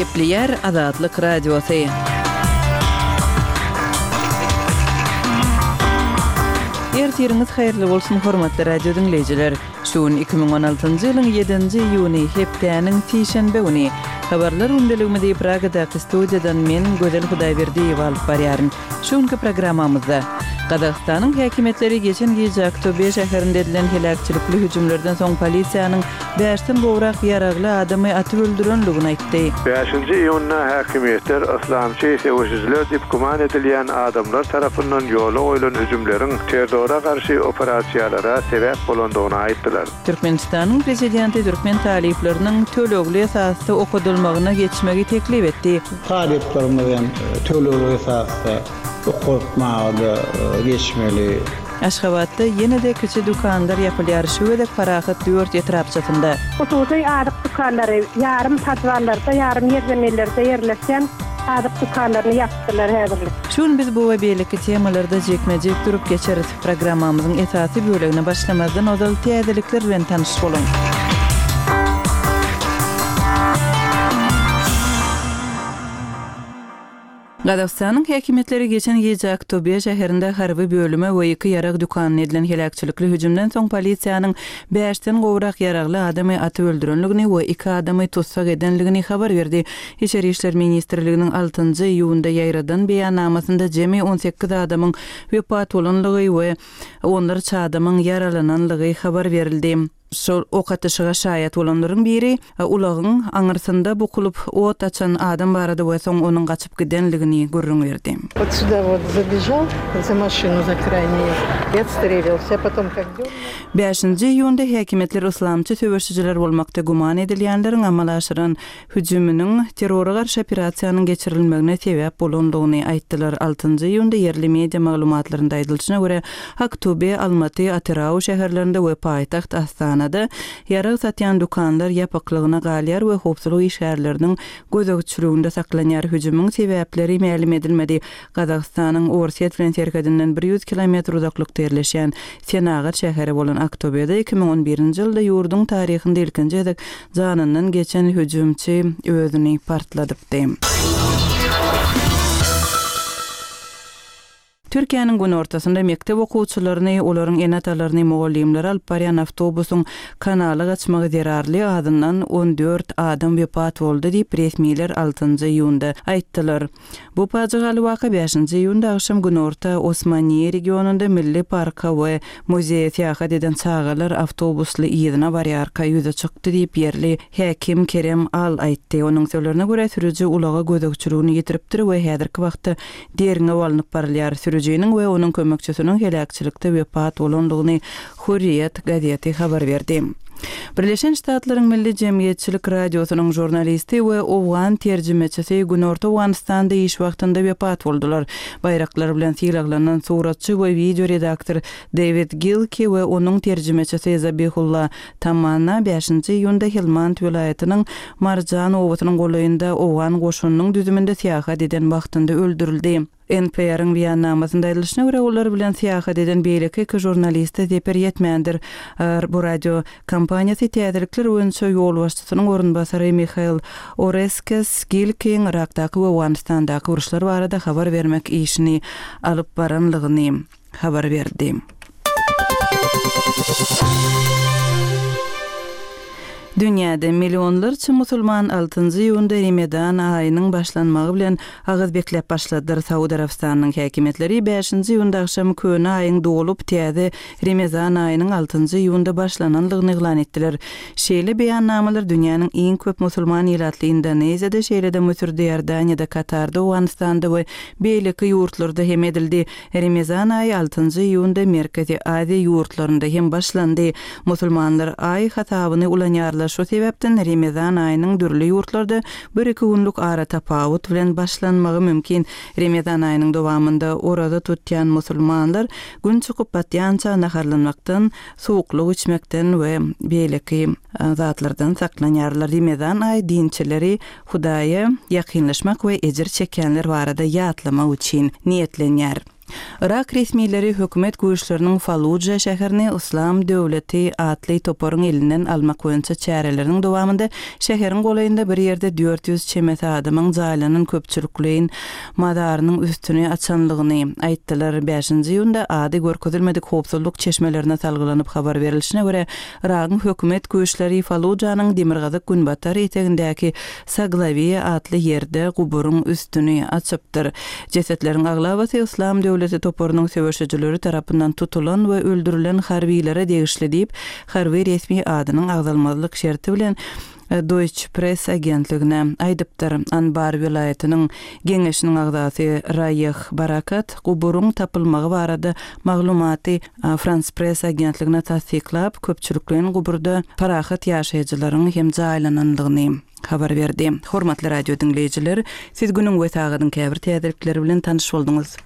Gepleýär Azatlyk Radiosy. Ertiriňiz haýyrly bolsun, hormatly radio diňleýjiler! Şu gün 2016-njy ýylyň ýedinji iýuny, hepdäniň sişenbe güni. Habarlar gündeligimizi Pragadaky studiýadan men, Gözel Hudaýberdiýewa alyp barýaryn. Şu günki programmamyzda, Gazagystanyň häkimiýetleri geçen gije Aktobe şäherinde edilen heläkçilikli hüjümlerden soň polisiýanyň bäşden gowrak ýaragly adamy atyp öldürenligini aýtdy. Bäşinji iýunda häkimiýetler yslamçy söweşijiler diýip güman edilýän adamlar tarapyndan ýola goýlan hüjümleriň terrora garşy operasiýalara sebäp bolandygyny aýtdylar. Türkmenistanyň Prezidenti türkmen talyplarynyň tölegli esasda okadylmagyna geçmegi teklip etdi. Talyplarymyz hem tölegli esasda okatmaga-da geçmeli. Aşgabatda ýene-de kiçi dükanlar ýapylýar, şu gezek Parahat dört etrapçasynda. Hususy azyk dükanlary ýarym podwallarda, ýarym ýerzeminlerde ýerleşýän azyk dükanlaryny ýapdylar häzirlik. Şu gün biz bu we beýleki temalarda jikme-jik durup geçeris. Programmamyzyň esasy bölegine başlamazdan ozal täzelikler bilen tanyş boluň. Gazagystanyň häkimiýetleri geçen gije Aktobe şäherinde harby bölüme we iki ýarag dükanyna edilen heläkçilikli hüjümden soň polisiýanyň bäşden gowrak ýaragly adamy atyp öldürenligini we iki adamy tussag edenligini habar berdi. Içeri işler ministrliginiň altynjy iýunda ýaýradan beýannamasynda jemi 18 adamyň wepat bolanlygy we onlarça adamyň ýaralananlygy habar berildi. Şol ok atyşyga şaýat bolanlaryň biri ulagyň aňyrsynda bukulyp ot açan adam barada we soň onuň gaçyp gidenligini gürrüň berdi. Wot suda wot zabežal za maşinu za kraýnyýe i otstrelilsya potom kak dörnul. Bäşinji iýunda häkimiýetler yslamçy söweşijiler bolmakda güman edilýänleriň amala aşyran hüjüminiň terrora garşy operasiýanyň geçirilmegine sebäp bolandygyny aýtdylar. Altynjy iýunda ýerli media maglumatlarynda aýdylyşyna görä, Aktobe, Almaty, Atyrau şäherlerinde we paýtagt Astanada ýarag satýan dükanlar ýapyklygyna galýar we howpsuzlyk işgärleriniň gözegçiliginde saklanýar. Hüjümiň sebäpleri mälim edilmedi. Gazagystanyň Orsýet bilen serhedinden 100 kilometr uzaklykda ýerleşýän senagat şäheri bolan Aktobede 2011-nji ýylda ýurduň taryhynda ilkinji gezek Janyndan geçen hüjümçi özüni partladypdy. Türkiýäniň günortasynda mekdep okuwçylaryny, olaryň ene-atalaryny, mugallymlary alyp barýan awtobusyň kanala gaçmagy zerarly azyndan 14 adam wepat boldy diýip, resmiler altynjy iýunda aýtdylar. Bu pajygaly waka bäşinji iýunda agşam günorta Osmaniýe regionynda milli parka we muzeýe syýahat eden çagalar awtobusly yzyna barýarka ýüze çykdy diýip, ýerli häkim Kerem Al aýtdy. Onuň sözlerine görä, sürüji ulaga gözegçiligini ýitiripdir we häzirki wagtda derňew alnyp barylýar. Sürüjiniň we onuň kömekçisiniň heläkçilikde wepat bolandygyny Hürriýet gazeti habar berdi. Birleşen Ştatlaryň Milli jemgyýetçilik radiosynyň žurnalisti we owgan terjimeçisi Günorta Owganystanda iş wagtynda wepat boldular. Baýraklar bilen sylaglanan suratçy we wideo redaktor Dewid Gilki we onuň terjimeçisi Zabihulla Tamanna bäşinji iýunda Helmand welaýatynyň Marjan obasynyň golaýynda owgan goşunynyň düzüminde syýahat eden wagtynda öldürildi. NPR-iň beýannamasynda aýdylyşyna görä, olar bilen syýahat eden beýleki iki žurnaliste zeper ýetmändir. Bu radio kompaniýasy täzelikler boýunça ýolbaşçysynyň orunbasary Mihail Oreskes Gilkiň Yrakdaky we Owganystandaky uruşlar barada habar bermek işini alyp baranlygyny habar berdi. Dünýäde millionlarça musulman altynjy iýunda Remedan aýynyň başlanmagy bilen agyz bekläp başladylar. Saud Arabystanynyň häkimiýetleri bäşinji iýunda agşam köne aýyň dolup, täze Remezan aýynyň altynjy iýunda başlananlygyny yglan etdiler. Şeýle beýannamalar dünýäniň iň köp musulman ilatly Indoneziýada, şeýle-de Müsürde, Iordaniýada, Katarda, Owganystanda we beýleki ýurtlarda hem edildi. Remezan aýy altynjy iýunda Merkezi Aziýa ýurtlarynda hem başlandy. Musulmanlar aý hasabyny ulanýarlar, şu sebäpden Remezan aýynyň dürli ýurtlarda bir-iki günlük aratapawut bilen başlanmagy mümkin. Remezan aýynyň dowamynda oraza tutýan musulmanlar Gün çykyp batýança naharlanmakdan, suwuklyk içmekden we beýleki zatlardan saklanýarlar. Remezan aýy dinçileri Hudaýa ýakynlaşmak we ejir çekýänler barada ýatlamak üçin niýetlenýär. Yrak resmileri hökümet güýçleriniň Falluja şäherini Yslam döwleti atly toparyň elinden almak boýunça çäreleriniň dowamynda şäheriň golaýynda bir ýerde 400 çemesi adamyň jaýlanan köpçülikleýin mazarynyň üstüni açanlygyny aýtdylar. Bäşinji iýunda ady görkezilmedik howpsuzlyk çeşmelerine salgylanyp habar berilişine görä, Yragyň hökümet güýçleri Fallujanyň demirgazyk-günbatar etegindäki Saglawiýa atly ýerde guburyň üstüni açypdyr. Jesetleriň aglabasy Yslam döwleti toparynyň söweşijileri tarapyndan tutulan we öldürilen harbylere degişli diýip, harby resmi adynyň agzalmazlyk şerti bilen Deutsche Press agentligine aýdypdyr. Anbar welaýatynyň geňeşiniň agzasy Raýeh Barakat guburyň tapylmagy barada maglumaty Frans Press agentligine tassyklap, köpçülikleýin guburda parahat ýaşaýjylaryň hem jaýlanandygyny habar berdi. Hormatly radio diňleýjiler, siz günüň we sagadyň käbir täzelikleri bilen tanyş bolduňyz.